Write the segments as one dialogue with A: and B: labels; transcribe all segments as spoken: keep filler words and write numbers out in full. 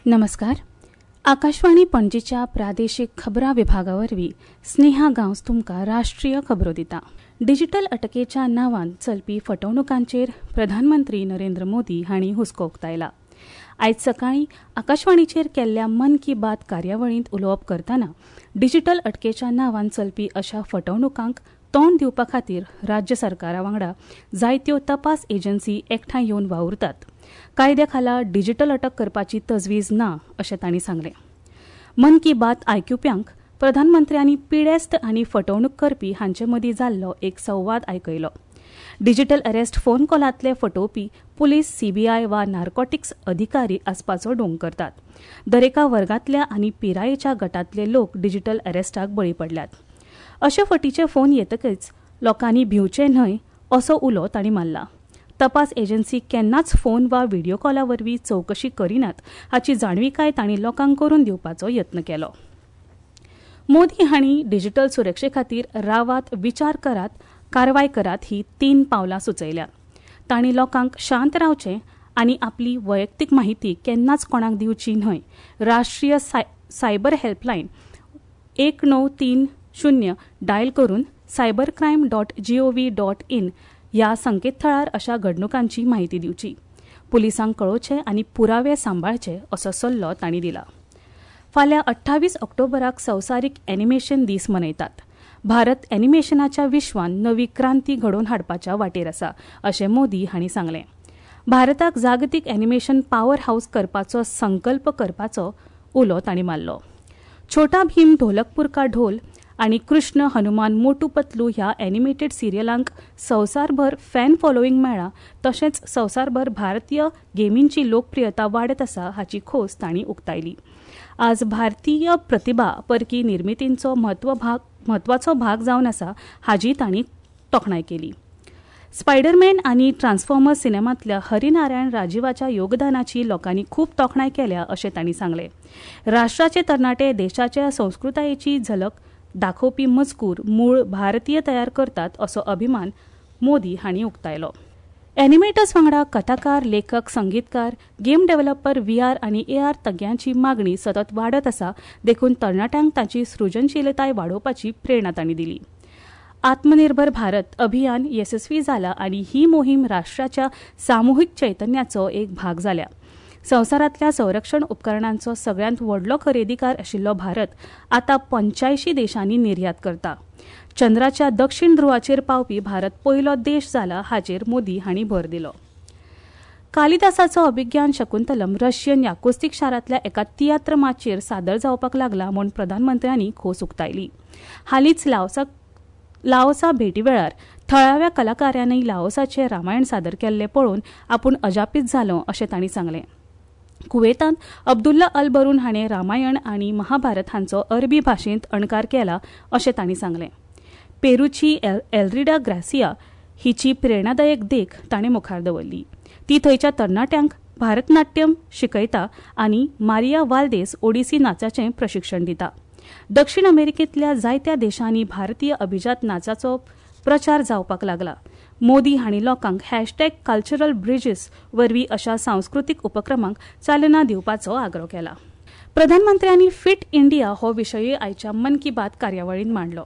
A: नमस्कार. आकाशवाणी पणजीच्या प्रादेशीक खबरां विभागा वरवीं स्नेहा गांवस तुमकां राष्ट्रीय खबरो दिता. डिजिटल अटकेच्या नांवान चलपी फटवणुकांचेर प्रधानमंत्री नरेंद्र मोदी हांणी हुस्को उक्तायला. आयज सकाळीं आकाशवाणीचेर केल्ल्या मन की बात कार्यावळींत उलोवप करतना डिजिटल अटकेच्या नांवान चलपी अशा फटवणुकांक तोंड दिवपा खातीर राज्य सरकारा वांगडा जायत्यो तपास एजन्सी एकठांय येवन वावुरतात. कायद्या खाला डिजिटल अटक करपाची तजवीज ना अशें तांणी सांगलें. मन की बात आयकुप्यांक प्रधानमंत्र्यांनी पिडेस्त आनी फटवणूक करपी हांचे मदीं जाल्लो एक संवाद आयकयलो. डिजिटल अरेस्ट फोन कॉलांतले फटोवपी पुलीस, सीबीआय वा नार्कोटिक्स अधिकारी आसपाचो डोंग करतात. दरेका वर्गांतल्या आनी पिरायेच्या गटांतले लोक डिजिटल अरेस्टाक बळी पडल्यात. अशे फटीचे फोन येतकच लोकांनी भिवचे न्हय असो उलो तांणी मारला. तपास एजन्सी केन्नाच फोन वा व्हिडियो कॉला वरवीं चवकशी करिनात हाची जाणविकाय तांणी लोकांक करून दिवपाचो यत्न केलो. मोदी हांणी डिजिटल सुरक्षे खातीर रावात, विचार करात, कारवाय करात ही तीन पावलां सुचयल्यात. तांणी लोकांक शांत रावचें आनी आपली वैयक्तीक माहिती केन्नाच कोणाक दिवची न्हय. राष्ट्रीय सायबर हेल्पलायन एक णव तीन शून्य डायल करून cyber crime dot gov dot in ह्या संकेतथळार अशा घडणुकांची माहिती दिवची. पुलिसांक कळोवचें आनी पुरावे सांबाळचे असो सल्लो तांणी दिला. फाल्यां अठ्ठावीस ऑक्टोबराक संवसारीक एनिमेशन दीस मनयतात. भारत एनिमेशनाच्या विश्वान नवी क्रांती घडोवन हाडपाच्या वाटेर आसा अशें मोदी हांणी सांगलें. भारताक जागतीक एनिमेशन पावर हावस करपाचो संकल्प करपाचो उलो तांणी मारलो. छोटा भीम, ढोलकपूर का ढोल आनी कृष्ण, हनुमान, मोटू पतलू ह्या एनिमेटेड सिरियलांक संवसारभर फॅन फॉलोईंग मेळ्ळा. तशेंच संवसारभर भारतीय गेमींची लोकप्रियता वाडत आसा हाची खोस तांणी उक्तायली. आज भारतीय प्रतिभा परकी निर्मितींचो म्हत्वाचो भाग जावन आसा हाजी तांणी तोखणाय केली. स्पायडरमॅन आनी ट्रान्सफॉर्मर्स सिनेमांतल्या हरिनारायण राजीवाच्या योगदानाची लोकांनी खूब तोखणाय केल्या अशें तांणी सांगलें. राष्ट्राचे तरणाटे देशाच्या संस्कृतायेची झलक दाखोवपी मजकूर मूळ भारतीय तयार करतात असो अभिमान मोदी हांणी उक्तायलो. एनिमेटर्स वांगडा कथाकार, लेखक, संगीतकार, गेम डेव्हलपर, व्हीआर आनी एआर तज्ञांची मागणी सतत वाडत आसा देखून तरणाट्यांक तांची सृजनशीलताय वाडोवपाची प्रेरणा तांणी दिली. आत्मनिर्भर भारत अभियान येसस्वी जाला आनी ही मोहीम राष्ट्राच्या सामुहीक चैतन्याचो एक भाग जाल्या. संवसारांतल्या संरक्षण उपकरणांचो सगळ्यांत व्हडलो खरेदीकार आशिल्लो भारत आतां पंच्यायशीं देशांनी निर्यात करता. चंद्राच्या दक्षिण ध्रुवाचेर पावपी भारत पयलो देश जाला हाचेर मोदी हांणी भर दिलो. कालिदासाचो अभिज्ञान शकुंतलम रशियन याकुस्तीक शारांतल्या एका तियात्र माचयेर सादर जावपाक लागला म्हूण प्रधानमंत्र्यांनी खोस उक्तायली. हालींच लाओसा लाओसा भेटी वेळार थळाव्या कलाकारांनी लाओसाचें रामायण सादर केल्लें पळोवन आपूण अजापीत जालो अशें तांणी सांगलें. कुवेतांत अब्दुल्ला अल बरून हाणें रामायण आनी महाभारत हांचो अरबी भाशेंत अणकार केला अशें तांणी सांगलें. पेरूची एल्रिडा ग्रासिया हिची प्रेरणादायक देख ताणें मुखार दवरली. ती थंयच्या तरणाट्यांक भारतनाट्यम शिकयता आनी मारिया वाल्देस ओडिसी नाचाचें प्रशिक्षण दिता. दक्षिण अमेरिकेंतल्या जायत्या देशांनी भारतीय अभिजात नाचाचो प्रचार जावपाक लागला. मोदी हांणी लोकांक हॅशटॅग कल्चरल ब्रिजीस वरवीं अशा सांस्कृतीक उपक्रमांक चालना दिवपाचो आग्रो केला. प्रधानमंत्र्यांनी फिट इंडिया हो विशयूय आयच्या मन की बात कार्यावळींत मांडलो.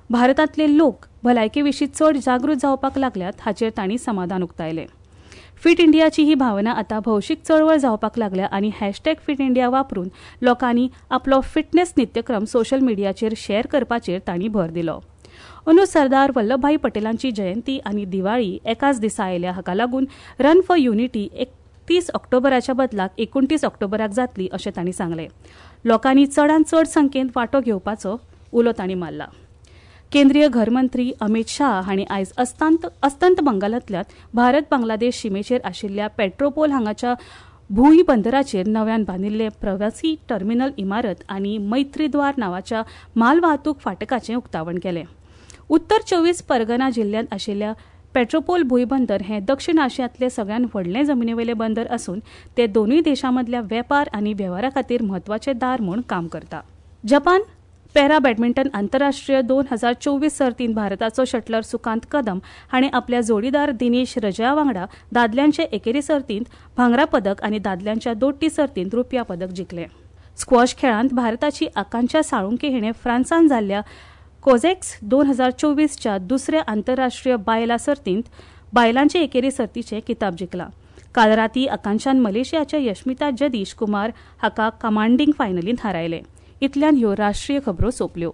A: भारतांतले लोक भलायके विशीं चड जागृत जावपाक लागल्यात हाचेर तांणी समाधान उक्तायलें. फिट इंडियाची ही भावना आतां भौशीक चळवळ जावपाक लागल्या आनी हॅशटॅग फिट इंडिया वापरून लोकांनी आपलो फिटनेस नित्यक्रम सोशल मिडियाचेर शेअर करपाचेर तांणी भर दिलो. अंदू सरदार वल्लभभाई पटेलांची जयंती आनी दिवाळी एकाच दिसा आयल्या हाका लागून रन फॉर युनिटी एकतीस ऑक्टोबराच्या बदलाक एकुणतीस ऑक्टोबराक जातली अशें तांणी सांगलें. लोकांनी चडांत चड संख्येन वांटो घेवपाचो उलो तांणी मारला. केंद्रीय घरमंत्री अमित शाह हांणी आयज अस्तंत अस्तंत बंगालांतल्या भारत बांगलादेश शिमेचेर आशिल्ल्या पेट्रोपोल हांगाच्या भूंय बंदराचेर नव्यान बांदिल्ले प्रवासी टर्मिनल इमारत आनी मैत्रीद्वार नांवाच्या मालवाहतूक फाटकाचें उक्तावण केलें. उत्तर चोवीस परगना जिल्ल्यांत आशिल्ल्या पेट्रोपोल भूंयबंदर हें दक्षिण आशियांतलें सगळ्यांत व्हडलें जमनीवेलें बंदर आसून ते दोनूय देशां मदल्या वेपार आनी वेव्हारा खातीर म्हत्वाचें दार म्हूण काम करता. जपान पॅरा बॅडमिंटन आंतरराष्ट्रीय दोन हजार चोवीस सर्तींत भारताचो शटलर सुकांत कदम हाणें आपल्या जोडीदार दिनेश रजया वांगडा दादल्यांचे एकेरी सर्तींत भांगरा पदक आनी दादल्यांच्या दोट्टी सर्तींत रुप्या पदक जिखलें. स्क्वॉश खेळांत भारताची आकांक्षा साळुंके हिणें फ्रांसान जाल्ल्या कोझेक्स दोन हजार चोवीसच्या दुसऱ्या आंतरराष्ट्रीय बायलां सर्तींत बायलांचे एकेरी सर्तीचें किताब जिखला. काल राती आकांक्षान मलेशियाच्या यशमिता जदीश कुमार हाका कमांडींग फायनलींत हारायलें. इतल्यान ह्यो राष्ट्रीय खबरो सोंपल्यो.